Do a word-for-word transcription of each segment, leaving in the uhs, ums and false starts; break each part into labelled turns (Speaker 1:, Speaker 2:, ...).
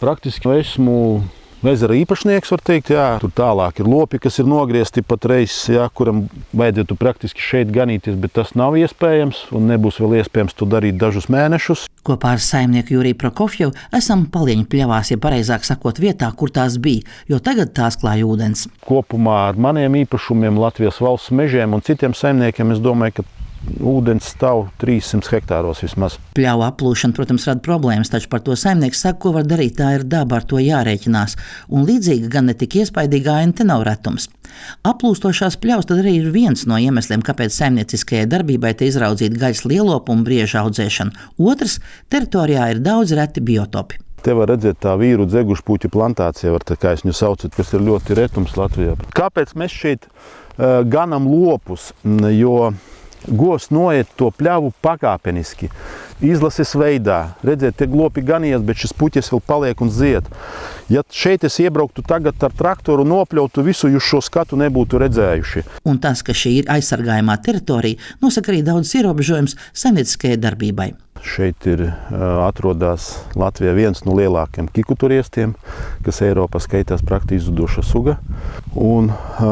Speaker 1: Praktiski esmu ezera īpašnieks, var teikt, jā. Tur tālāk ir lopi, kas ir nogriezti pat reizes, jā, kuram vajadzētu praktiski šeit ganīties, bet tas nav iespējams un nebūs vēl iespējams to darīt dažus mēnešus.
Speaker 2: Kopā ar saimnieku Juriju Prokofjevu esam Palieņu pļavās, ja pareizāk sakot, vietā, kur tās bija, jo tagad tās klāj ūdens.
Speaker 1: Kopumā ar maniem īpašumiem, Latvijas valsts mežiem un citiem saimniekiem, es domāju, ka ūdens stāv trīssimts hektāros vismaz.
Speaker 2: Pļauju aplūšana, protams, rada problēmas, taču par to saimnieks saka, ko var darīt, tā ir daba, ar to jārēķinās. Un līdzīga, gan ne tik iespaidīga aina te nav retums. Aplūstošās pļavas tad arī ir viens no iemesliem, kāpēc saimnieciskajai darbībai te izraudzīt gaļas lielopu un brieža audzēšanu. Otrs, teritorijā ir daudz reti biotopi.
Speaker 1: Te var redzēt tā vīru dzegušpuķu plantācija, var tā kā es viņu saucu, kas ir ļoti retums Latvijā. Kāpēc mēs šeit uh, ganam lopus? Jo govs noiet to pļavu pakāpeniski, izlases veidā. Redziet, tie lopi ganījies, bet šis puķis vēl paliek un zied. Ja šeit es iebrauktu tagad ar traktoru nopļautu visu, jūs šo skatu nebūtu redzējuši.
Speaker 2: Un tas, ka šī ir aizsargājumā teritorija, nosaka arī daudz ierobežojums saimnieciskajai darbībai.
Speaker 1: Šeit ir atrodas Latvijā viens no lielākiem kiku turiestiem, kas Eiropā skaitās praktiski izzuduša suga. Un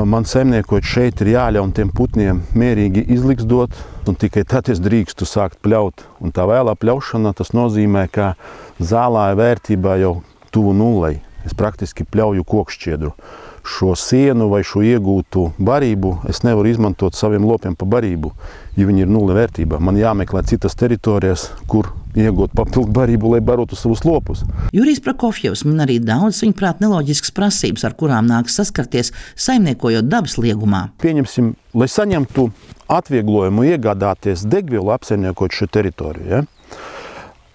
Speaker 1: man saimniekot šeit ir jāļauj tiem putniem mierīgi izliksdot, un tikai tad es drīkstu sākt pļaut. Un tā vēlā pļaušana, tas nozīmē, ka zālāja vērtībā jau tuvu nullei. Es praktiski pļauju kokšķiedru. Šo sienu vai šo iegūtu barību es nevaru izmantot saviem lopiem pa barību, ja viņi ir nulle vērtībā. Man jāmeklē citas teritorijas, kur iegūt papildu barību, lai barotu savus lopus.
Speaker 2: Jurijs Prokofjevs min arī daudz, viņuprāt, neloģiskas prasības, ar kurām nāks saskarties, saimniekojot dabas liegumā.
Speaker 1: Pieņemsim, lai saņemtu atvieglojumu iegādāties degvielu apsaimniekot šo teritoriju, ja?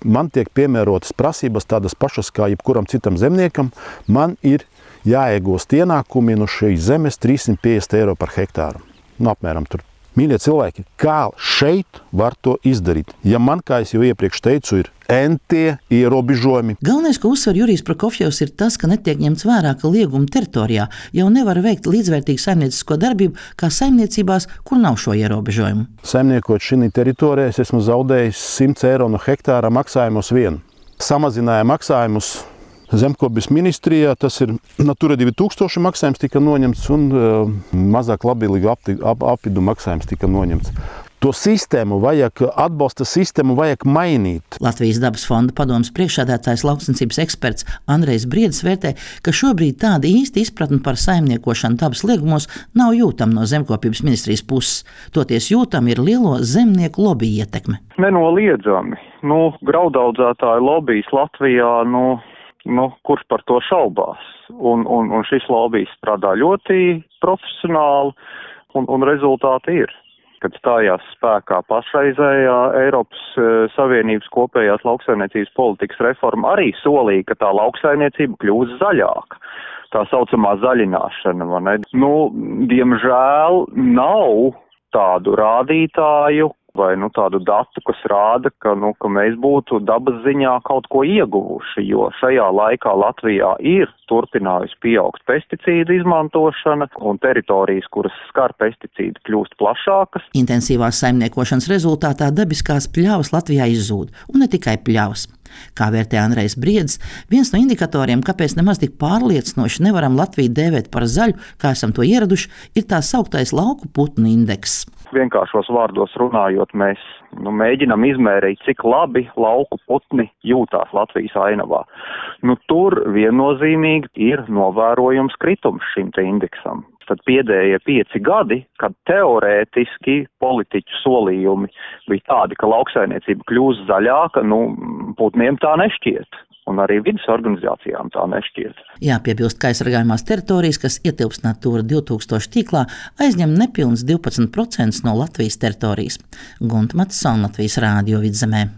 Speaker 1: Man tiek piemērotas prasības tādas pašas kā jebkuram citam zemniekam. Man ir jāiegūst ienākumi no šīs zemes trīssimt piecdesmit eiro par hektāru. Nu, apmēram tur. Mīļie cilvēki, kā šeit var to izdarīt? Ja man, kā es jau iepriekš teicu, ir entie ierobežojumi.
Speaker 2: Galvenais, ko uzsver Jurijs Prokofjevs, ir tas, ka netiek ņemts vērā, ka lieguma teritorijā jau nevar veikt līdzvērtīgu saimniecisko darbību kā saimniecībās, kur nav šo ierobežojumu.
Speaker 1: Saimniekot šī teritorijā, es esmu zaudējis simts eiro no hektāra maksājumus vien. Samazināja maksājumus Zemkopības ministrijā, tas ir Natura divi tūkstoši maksājums tika noņemts un uh, mazāk labvēlīgu ap, ap, apvidu maksājums tika noņemts. To sistēmu vajag, atbalsta sistēmu vajag mainīt.
Speaker 2: Latvijas dabas fonda padomes priekšsēdētājs lauksaimniecības eksperts Andrejs Briedis vērtē, ka šobrīd tāda īsta izpratne par saimniekošanu dabas liegumos nav jūtama no Zemkopības ministrijas puses. Toties jūtama ir lielo zemnieku lobby ietekme.
Speaker 3: Nenoliedzami. Nu, graudaudzētāju lobbyis Latvijā, nu, Nu, kurš par to šaubās? Un, un, un šis lobijs strādā ļoti profesionāli, un, un rezultāti ir. Kad stājās spēkā pašreizējā Eiropas Savienības kopējās lauksaimniecības politikas reforma, arī solīja, ka tā lauksaimniecība kļūs zaļāka. Tā saucamā zaļināšana, vai ne? Nu, diemžēl nav tādu rādītāju, vai nu, tādu datu, kas rāda, ka, nu, ka mēs būtu dabas ziņā kaut ko ieguvuši, jo šajā laikā Latvijā ir turpinājusi pieaugt pesticīdu izmantošana un teritorijas, kuras skar pesticīdi, kļūst plašākas.
Speaker 2: Intensīvās saimniekošanas rezultātā dabiskās pļavas Latvijā izzūd, un ne tikai pļavas. Kā vērtē Andrejs Briedis, viens no indikatoriem, kāpēc nemaz tik pārliecinoši nevaram Latviju dēvēt par zaļu, kā esam to ieraduši, ir tā sauktais lauku putnu indeks.
Speaker 3: Vienkāršos vārdos runājot, mēs nu, mēģinam izmērīt, cik labi lauku putni jūtās Latvijas ainavā. Nu, tur viennozīmīgi ir novērojums kritums šim te indeksam. Tad pēdējie pieci gadi, kad teorētiski politiķu solījumi bija tādi, ka lauksaimniecība kļūs zaļāka, nu, putniem tā nešķiet. Un arī vidas organizācijām tā nešķiet.
Speaker 2: Jāpiebilst, ka aizsargājumās teritorijas, kas ietilpst Natura divi tūkstoši tīklā, aizņem nepilns divpadsmit procentus no Latvijas teritorijas. Gunta Matisona, Latvijas Rādio Vidzemē.